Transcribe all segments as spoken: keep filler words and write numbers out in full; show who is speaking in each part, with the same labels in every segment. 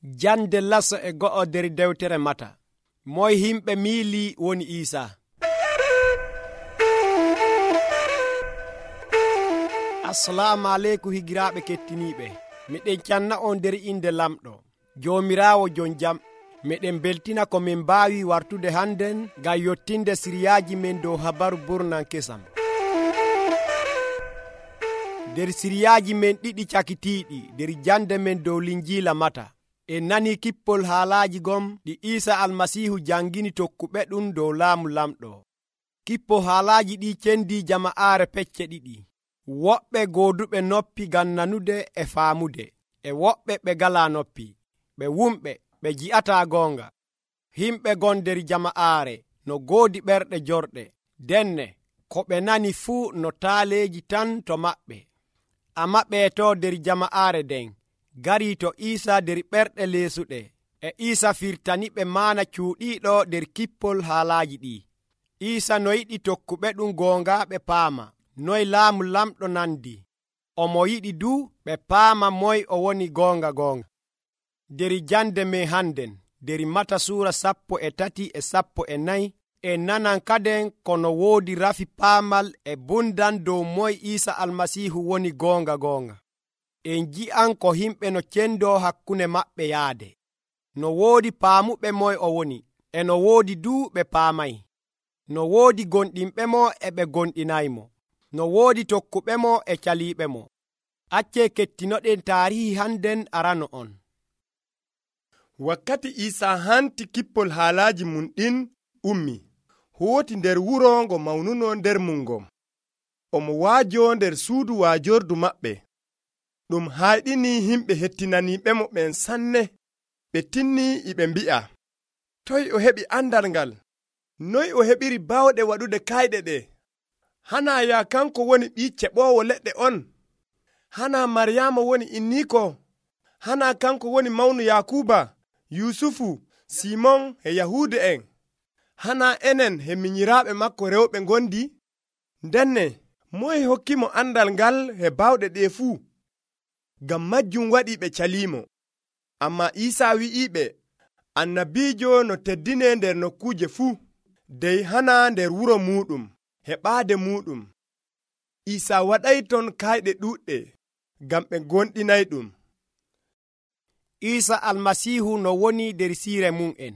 Speaker 1: Jande laso e go'o nder dewtere Mata. Moy himɓe miili woni Iisa. Assalamu aleykum higiraaɓe kettiniiɓe. Miɗen canna on nder inde lamɗo Joomiraawo jon jam. Miɗen beltina ko min mbaawi wartude hannden ngam yottinde siriyaaji men dow habaru burnan kesam. Nder siriyaaji men ɗiɗi cakitiiɗi nder jande men dow linjiila Mata, en nani kippol haalaaji gom ɗi Iisa Almasiihu jangini tokkuɓe ɗum dow laamu lamɗo. Kippo haalaaji ɗi cendi jama'aare pecce ɗiɗi. Woɓɓe gooduɓe noppi ngam nanude e faamude, e woɓɓe ɓe galaa noppi, ɓe wumɓe, ɓe ji'ataa goonga. Himɓe gon nder jama'aare no goodi ɓerɗe jorɗe, denne ko ɓe nani fuu no taaleeji tan to maɓɓe. Ammaa ɓeetoo nder jama'aare nden garii to Iisa nder ɓerɗe leesuɗe, e Iisa firtaniɓe maana cuuɗiiɗo nder kippol haalaaji ɗi. Iisa no yiɗi tokkuɓe ɗum goonga ɓe paama noy laamu lamɗo nandi. Omo yiɗi du ɓe paama moy o woni goonga goonga. Nder jande men hannden nder Mata suura sappo e tati e sappo e nayi, en nanan kaden kono woodi rafi paamal e bundan dow moy Iisa Almasiihu woni goonga goonga. En ji'an ko himɓe no cendoo hakkunde maɓɓe yaade. No woodi paamuɓe moy o woni, e no woodi du ɓe paamay. No woodi gonɗinɓe mo e ɓe gonɗinaymo. No woodi tokkuɓe mo e caliiɓe mo. Accee kettinoɗen taarihi hannden arano on.
Speaker 2: Wakkati Iisa hanti kippol haalaaji mum ɗin ummi, hooti nder wuro ngo mawnuno nder mum ngom. Omo waajoo nder suudu waajordu maɓɓe. Ɗum hayɗini himɓe hettinaniiɓe mo ɓen sanne. Ɓe tinni e ɓe mbi'a, toy o heɓi andal ngal? Noy o heɓiri bawɗe waɗude kayɗe ɗe? Hanaa ya kanko woni ɓii ceɓoowo leɗɗe on? Hanaa Maryaama woni inniiko? Hanaa kanko woni mawnu Yaakuba, Yusufu, Simon e Yahuude en? Hanaa enen he minyiraaɓe makko rewɓe ngondi? Ndenne, moye hokkimo andal ngal he bawɗe ɗe fuu? Ngam majjum waɗi ɓe caliimo. Ammaa Iisa wi'iɓe, annabiijo no teddine nder nokkuuje fuu, dey hanaa nder wuro muuɗum, he ɓaade muuɗum. Iisa waɗay ton kayɗe ɗuuɗɗe, ngam ɓe gonɗinayɗum.
Speaker 1: Iisa Almasiihu no woni nder siire mum'en,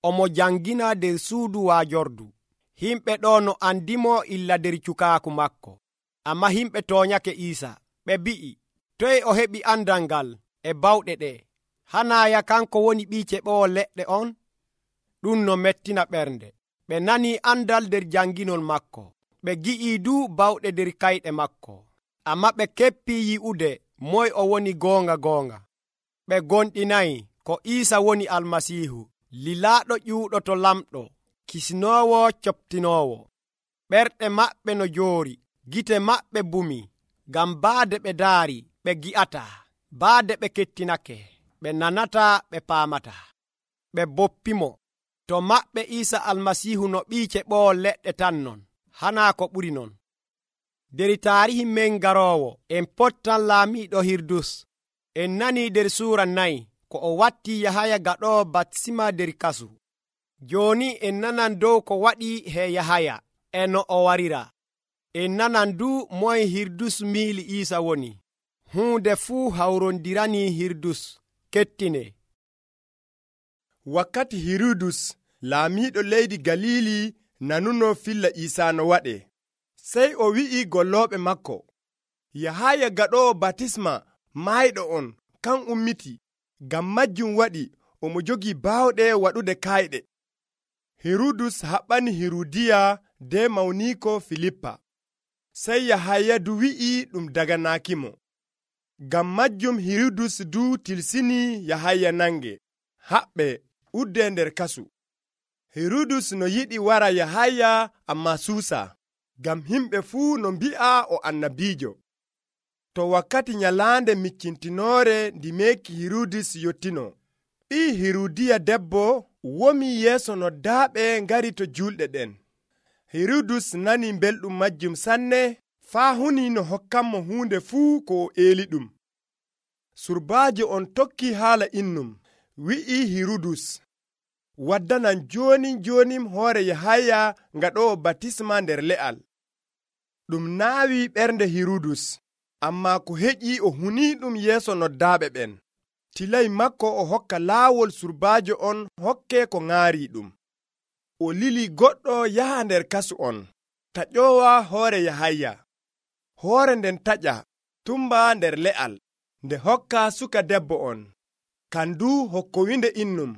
Speaker 1: omo jangina nder suudu waajordu. Himɓe ɗo no andimo illa nder cukaaku makko. Ammaa himɓe tooñake Iisa, ɓe mbi'i, toy o heɓi andal ngal e bawɗe ɗe? Hanaaya kanko woni ɓii ceɓoowo leɗɗe on? Ɗum no mettina ɓernde. Ɓe nanii andal nder janginol makko, ɓe gi'ii du bawɗe nder kayɗe makko. Ammaa ɓe keppii yi'ude moy o woni goonga goonga. Ɓe gonɗinayi ko Iisa woni Almasiihu, lilaaɗo ƴuuɗo to lamɗo, kisnoowo coptinoowo. Ɓerɗe maɓɓe no joori, gite maɓɓe bumi, ngam baade ɓe daari ɓe gi'ataa, baade ɓe kettinake, ɓe nanataa, ɓe paamataa. Ɓe boppimo. To maɓɓe Iisa Almasiihu no ɓii ceɓoowo leɗɗe tan non, hanaa ko ɓuri non. Nder taarihi men garoowo, en pottan laamiiɗo Hirudus. En nanii nder suura nayi ko o watti Yahaya gaɗoowo baptisma nder kasu. Jooni en nanan dow ko waɗi he Yahaya e no o warira. En nanan du moye Hirudus miili Iisa woni. Huunde fuu hawrondiranii Hirudus. Kettine.
Speaker 2: Wakkati Hirudus laamiiɗo leydi Galili nanuno filla Iisa no waɗe, sey o wi'i gollooɓe makko, Yahaya gaɗoowo baptisma maayɗo on kan ummiti, ngam majjum waɗi omo jogii baawɗe waɗude kayɗe. Hirudus haɓɓani Hirudiya de mawniiko Filippa. Sey Yahaya du wi'i ɗum daganaakimo. Ngam majjum Hirudus du tilsini Yahaya nange, haɓɓe udde nder kasu. Hirudus no yiɗi wara Yahaya ammaa suusa, ngam himɓe fuu no mbi'a o annabiijo. To wakkati nyalaande miccintinoore ndi meeki Hirudus yottino, ɓii Hirudiya debbo womi yeeso noddaaɓe ngari to julɗe ɗen. Hirudus nani belɗum majjum sanne, faa huni no hokkanmo huunde fuu ko o eeli ɗum. Surbaajo on tokki haala innum, wi'i Hirudus, waddanan joni jonim hoore Yahaya ngaɗowo batisma nder le'al. Ɗum naawi ɓernde Hirudus, amma ko heƴi o huni ɗum yeeso noddaaɓe ɓen. Tilay makko o hokka laawol surbaajo on hokke ko ŋaari ɗum. O lili goɗɗo yaha nder kasu on, taƴowa hoore Yahaya. Hoore nden taƴa tumba nder le'al, nde hokka suka debbo on, kandu hokkowinde innum.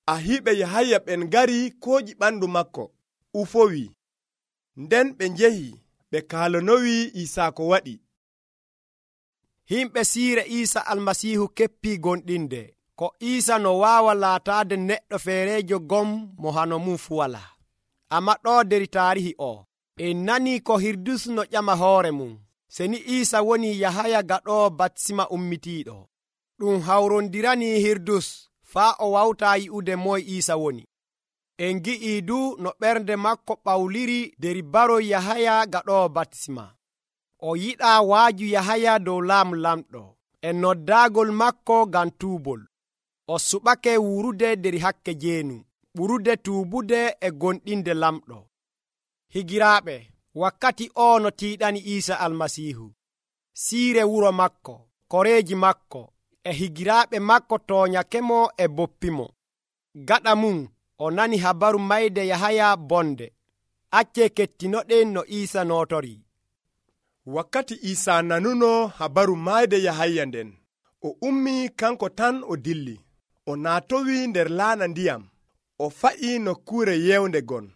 Speaker 2: Ahiiɓe Yahaya ɓen ngari kooƴi ɓandu makko, ufowi. Nden ɓe njehi ɓe kaalonowi Iisaa ko waɗi.
Speaker 1: Himɓe siire Iisa almasiihu keppii gonɗinde ko Iisa no waawa laataade neɗɗo feereejo gom mo hano mum fu walaa. Ammaa ɗo der taarihi o, en nanii ko Hirudus no ƴama hoore mum, seni Iisa woni Yahaya gaɗoowo batisma ummitiiɗo. Ɗum hawrondiranii Hirudus faa o wawtaa yi'ude moye Iisa woni. En ngi'ii du no ɓernde makko ɓawliri der baroy Yahaya gaɗoowo batisma. O yiɗaa waaju Yahaya dow laamu lamɗo e noddaagol makko ngam tuubol. O suɓake wurude der hakke jeenu, ɓurude tuubude e gonɗinde lamɗo. Higiraaɓe, wakkati o no tiiɗani Iisa almasiihu, siire wuro makko, koreeji makko e higiraaɓe makko tooñakemo e boppimo. Gaɗa mum o nani habaru mayde Yahaya bonde. Accee kettinoɗen no Iisa nootori.
Speaker 2: Wakkati Iisaa nanuno habaru mayde Yahaya nden, o ummi kanko tan o dilli. O naatowi nder laana ndiyam, o fa'i nokkuure yewnde gon.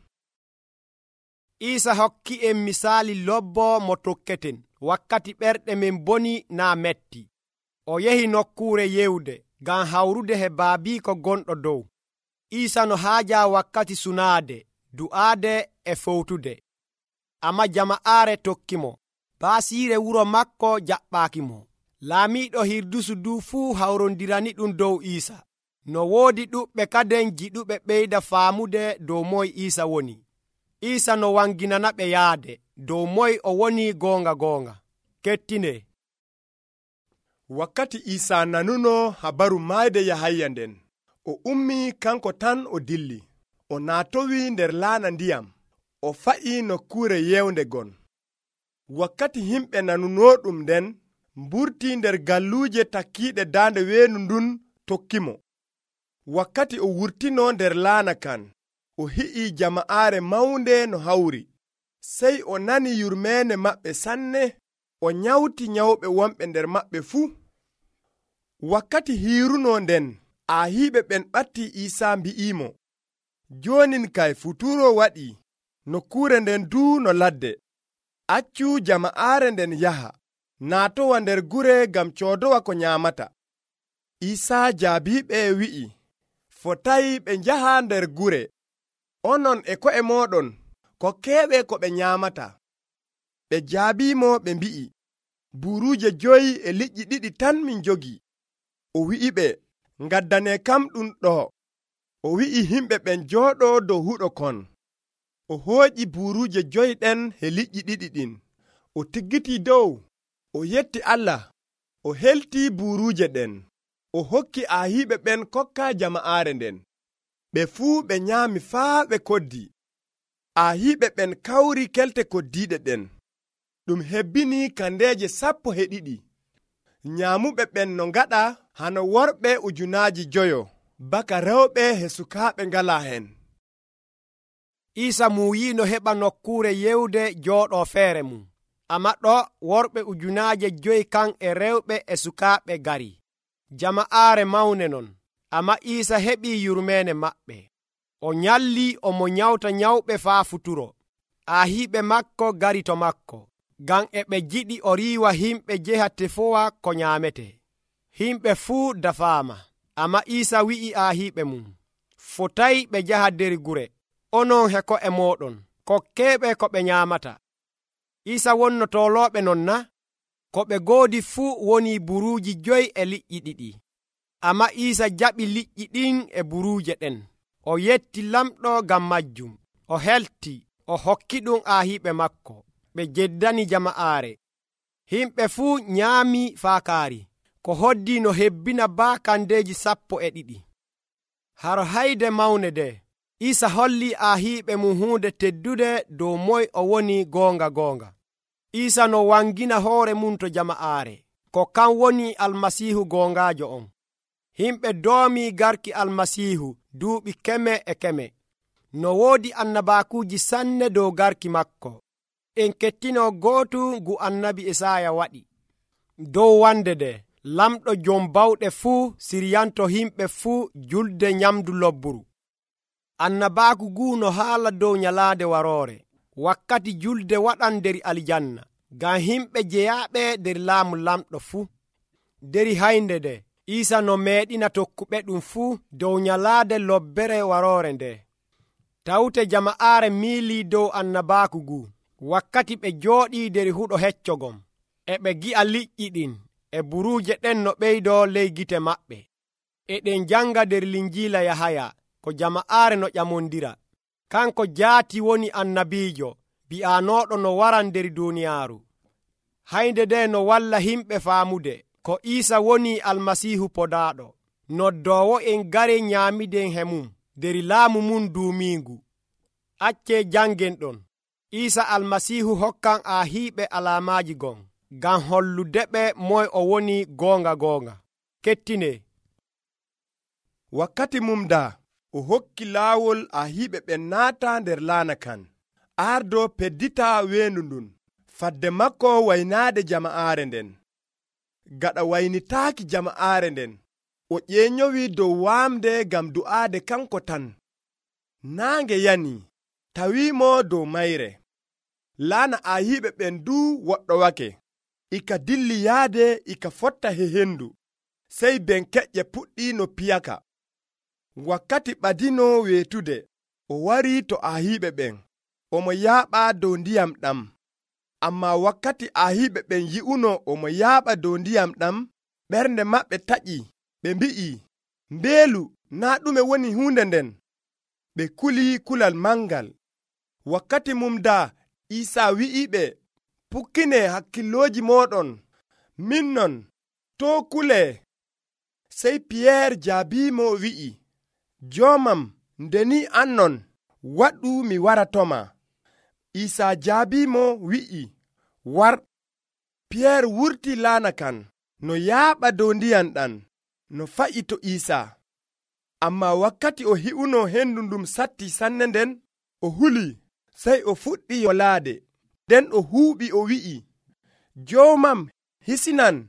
Speaker 1: Iisa hokki en misaali lobbo mo tokketen wakkati ɓerɗe men boni naa metti. O yehi nokkuure yewde ngam hawrude he baabiiko gonɗo dow. Iisa no haaja wakkati sunaade, du'aade e fowtude. Amma jama'aare tokkimo. Baasiire wuro makko jaɓɓaakimo. Laamiiɗo Hirdusu du fuu hawrondirani ɗum dow Iisa. No woodi ɗuɓɓe kaden jiɗuɓe ɓeyda faamude dow moye Iisa woni. Iisa no wanginana ɓe yaade dow moye o woni goonga goonga. Kettine.
Speaker 2: Wakkati Iisaa nanuno habaru mayde Yahaya nden, o ummi kanko tan o dilli. O naatowi nder laana ndiyam, o fa'i nokkuure yewnde gon. Wakkati himɓe nanunoɗum nden mburti nder galluuje takkiiɗe daande weenu ndun tokkimo. Wakkati o wurtino nder laana kan, o hi'i jama'aare mawnde no hawri. Sey o nani yurmeende maɓɓe sanne, o nyawti nyawɓe wonɓe nder maɓɓe fuu. Wakkati hiiruno nden, ahiiɓe ɓen ɓatti Iisaa mbi'imo, joonin kay futuro waɗii, nokkuure nden duu no ladde. Accu jama'aare nden yaha, naatowa nder gure ngam coodowa ko nyaamata. Iisaa jaabiiɓe wi'i, fotayi ɓe njaha nder gure. Onon e ko'e mooɗon, kokkeeɓe ko ɓe nyaamata. Ɓe jaabiimo ɓe mbi'i, buruuje joyi e liƴƴi ɗiɗi tan min jogi. O wi'iɓe, ngaddane kam ɗum ɗo. O wi'i himɓe ɓen jooɗoo dow huɗo kon. O hooƴi buruuje joyi ɗen e liƴƴi ɗiɗi ɗin. O tiggitii dow, o yetti Allah, o heltii buruuje ɗen. O hokki ahiiɓe ɓen kokka jama'aare nden. Ɓe fuu ɓe nyaami faa ɓe koddi. Ahiiɓe ɓen kawri kelte koddiiɗe ɗen. Ɗum hebbini kandeeje sappo e ɗiɗi. Nyaamuɓe ɓen no ngaɗa hano worɓe ujunaaji joyo, baka rewɓe e sukaaɓe ngalaa hen.
Speaker 1: Iisa muuyi no heɓa nokkuure yewde jooɗoo feere mum. Amma ɗo worɓe ujunaaje joyi kan e rewɓe e sukaaɓe gari. Jama'aare mawne non. Amma Iisa heɓii yurmeene maɓɓe. O nyallii omo nyawta nyawɓe faa futuro. Ahiiɓe makko gari to makko, ngam e ɓe jiɗi o riiwa himɓe jeha tefowa ko nyaamete. Himɓe fuu dafaama. Amma Iisa wi'i ahiiɓe mum, fotayi ɓe njaha der gure. Onon he ko'e mooɗon, kokkeeɓe ko ɓe nyaamata. Iisa wonno toolooɓe non na? Ko ɓe ngoodi fuu woni buruuji joyi e liƴƴi ɗiɗi. Amma Iisa jaɓi liƴƴi ɗin e buruuje ɗen. O yetti lamɗo ngam majjum. O helti, o hokki ɗum ahiiɓe makko. Ɓe jeddani jama'aare. Himɓe fuu nyaami faa kaari. ko hoddi no hebbina baakandeeji sappo e ɗiɗi. Haro hayde mawne nde Iisa holli ahiiɓe mum huunde teddude dow moy o woni goonga goonga. Iisa no wangina hoore mum to jama'aare ko kan woni almasiihu goongaajo on. Himɓe doomii garki almasiihu duuɓi keme e keme. No woodi annabaakuuji sanne dow garki makko. En kettinoo gootu ngu annabi Esaaya waɗi. Dow wande nde lamɗo jom bawɗe fuu siryanto himɓe fuu julde nyamdu lobburu. Annabaaku guu no haala dow nyalaande waroore, wakkati julde waɗan nder aljanna, ngam himɓe jeyaaɓe nder laamu lamɗo fuu. Deri haynde nde Iisa no meeɗina tokkuɓe ɗum fuu dow nyalaande lobbere waroore nde. Tawte jama'aare miilii dow annabaaku guu, wakkati ɓe jooɗii nder huɗo heccogom, e ɓe gi'a liƴƴi ɗin e buruuje ɗen no ɓeydoo ley gite maɓɓe. E ɗen janga nder linjiila Yahaya ko jama'aare no ƴamondira. Kanko jaati woni annabiijo bi'anooɗo no waran nder duuniyaaru. Haynde nde no walla himɓe faamude ko Iisa woni almasiihu podaaɗo, noddoowo en gare nyaamiden he mum nder laamu mum duumiingu. Accee jangen ɗon. Iisa almasiihu hokkan ahiiɓe alaamaaji gon, ngam holludeɓe moy o woni goonga goonga. Kettine.
Speaker 2: Wakkati mum daa o hokki laawol ahiiɓe ɓen naata nder laana kan, ardo peddita weendu ndun, fadde makko waynaade jama'aare nden. Gaɗa waynitaaki jama'aare nden, o ƴeeñowi dow waamde ngam du'aade kanko tan. Naange yani, tawiimo dow mayre. Laana ahiiɓe ɓen duu woɗɗowake, ika dilli yaade ika fotta he hendu, sey benkeƴƴe puɗɗi no piyaka. Wakkati ɓadino weetude, o warii to ahiiɓe ɓen, omo yaaɓa dow ndiyam ɗam. Ammaa wakkati ahiiɓe ɓen yi'uno omo yaaɓa dow ndiyam ɗam, ɓernde maɓɓe taƴi, ɓe mbi'i, mbeelu naa ɗume woni huunde nden. Ɓe kulii kulal mangal. Wakkati mum daa Iisa wi'iɓe, pukkine hakkilooji mooɗon, min non, too kulee. Sey Piyeer jaabiimo wi'i, joomam, ndeni an non, waɗu mi waratoma. Iisa jaabiimo wi'i, war. Piyeer wurti laana kan, no yaaɓa dow ndiyam ɗam, no fa'i to Iisa. Ammaa wakkati o hi'uno hendu ndum satti sanne nden, o huli, sey o fuɗɗi yolaade. Nden o huuɓi o wi'i, joomam, hisinan.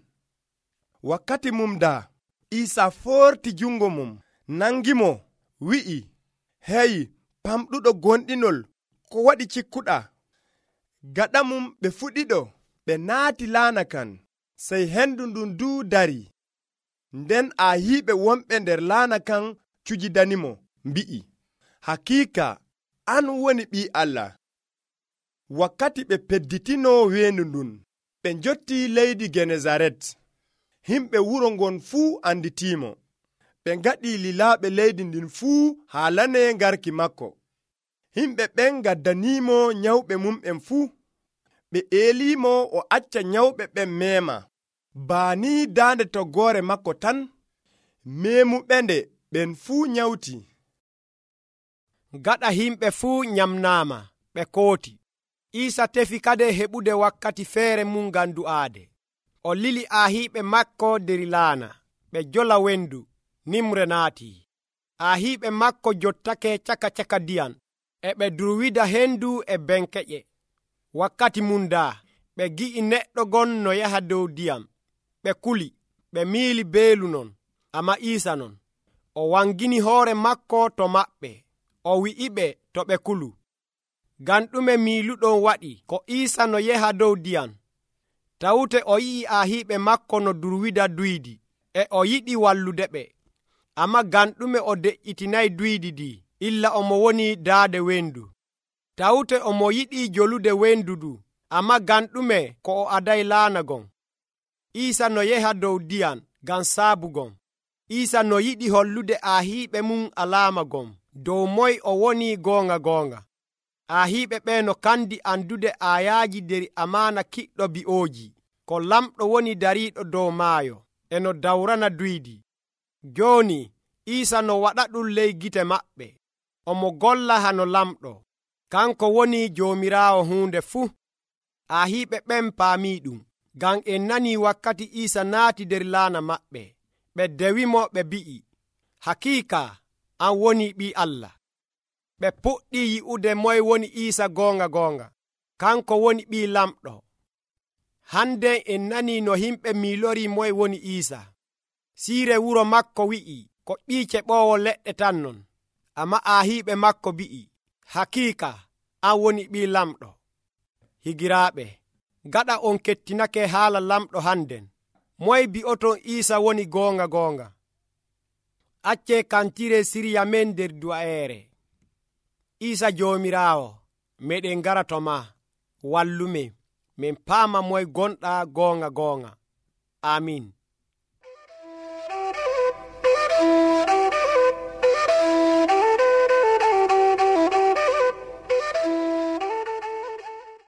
Speaker 2: Wakkati mum daa Iisa foorti jungo mum, nangimo, wi'i, hey, pamɗuɗo gonɗinol, ko waɗi cikkuɗa? Gaɗa mum ɓe fuɗiɗo, ɓe naati laana kan, sey hendu ndun duu dari. Nden ahiiɓe wonɓe nder laana kan cujidanimo, mbi'i, hakiika, an woni Ɓii Allah. Wakkati ɓe pedditino weendu ndun, ɓe njotti leydi Genesaret. Himɓe wuro ngon fuu anditiimo. Ɓe ngaɗi lilaaɓe leydi ndin fuu haalane ngarki makko. Himɓe ɓen ngaddaniimo nyawɓe mum'en fuu. Ɓe eeliimo o acca nyawɓe ɓen meema. Baani daande toggoore makko tan, meemuɓende ɓen fuu nyawti.
Speaker 1: Gaɗa himɓe fuu nyamnaama, ɓe kooti. Iisa tefi kade heɓude wakkati feere mum ngam du'aade. O lili ahiiɓe makko der laana, ɓe jola wendu, nimre naatii. Ahiiɓe makko jottake caka caka ndiyam, e ɓe durwida hendu e benkeƴe. Wakkati mum daa, ɓe gi'i neɗɗo gon no yaha dow ndiyam. Ɓe kuli, ɓe miili beelu non, amma Iisa non. O wangini hoore makko to maɓɓe, o wi'iɓe to ɓe kulu. Ngam ɗume miiluɗon waɗi ko Iisa no yaha dow ndiyam? Tawte o yi'i ahiiɓe makko no durwida duydi, e o yiɗi wallude ɓe. Amma ngam ɗume o deƴƴitinayi duydi ɗi, illa omo woni daade wendu. Tawte omo yiɗi jolude wendu du, amma ngam ɗume ko o adayi laana gon? Iisa no yaha dow ndiyam ngam saabu gon. Iisa no yiɗi hollude ahiiɓe mum alaama gon, dow moy o woni goonga goonga. Ahiiɓe ɓe no kandi andude ayaaji nder amaana kiɗɗo bi'ooji, ko lamɗo woni dariiɗo dow maayo. e no dawrana duydi. Jooni Iisa no waɗa ɗum ley gite maɓɓe, omo golla hano lamɗo. Kanko woni Joomiraawo huunde fuu. Ahiiɓe ɓen paami ɗum, ngam en nani wakkati Iisa naati nder laana maɓɓe. Ɓe dewimo ɓe mbi'i, hakiika an woni Ɓii Allah. Ɓe puɗɗii yi'ude moye woni Iisa goonga goonga. Kanko woni ɓii lamɗo. Hande en nani no himɓe miilorii moye woni Iisa. Siire wuro makko wi'i ko ɓii keɓoowo leɗɗe tan non. Ammaa ahiiɓe makko mbi'i, hakiika an woni ɓii lamɗo. Higiraaɓe, gaɗa on kettinake haala lamɗo handen, moye bi'oton Iisa woni goonga goonga? Accee kantire sirya men nder du'ayeere. Iisa Joomiraawo, meɗen ngara to ma, wallumen min paama moye gonɗa goonga goonga. Amin.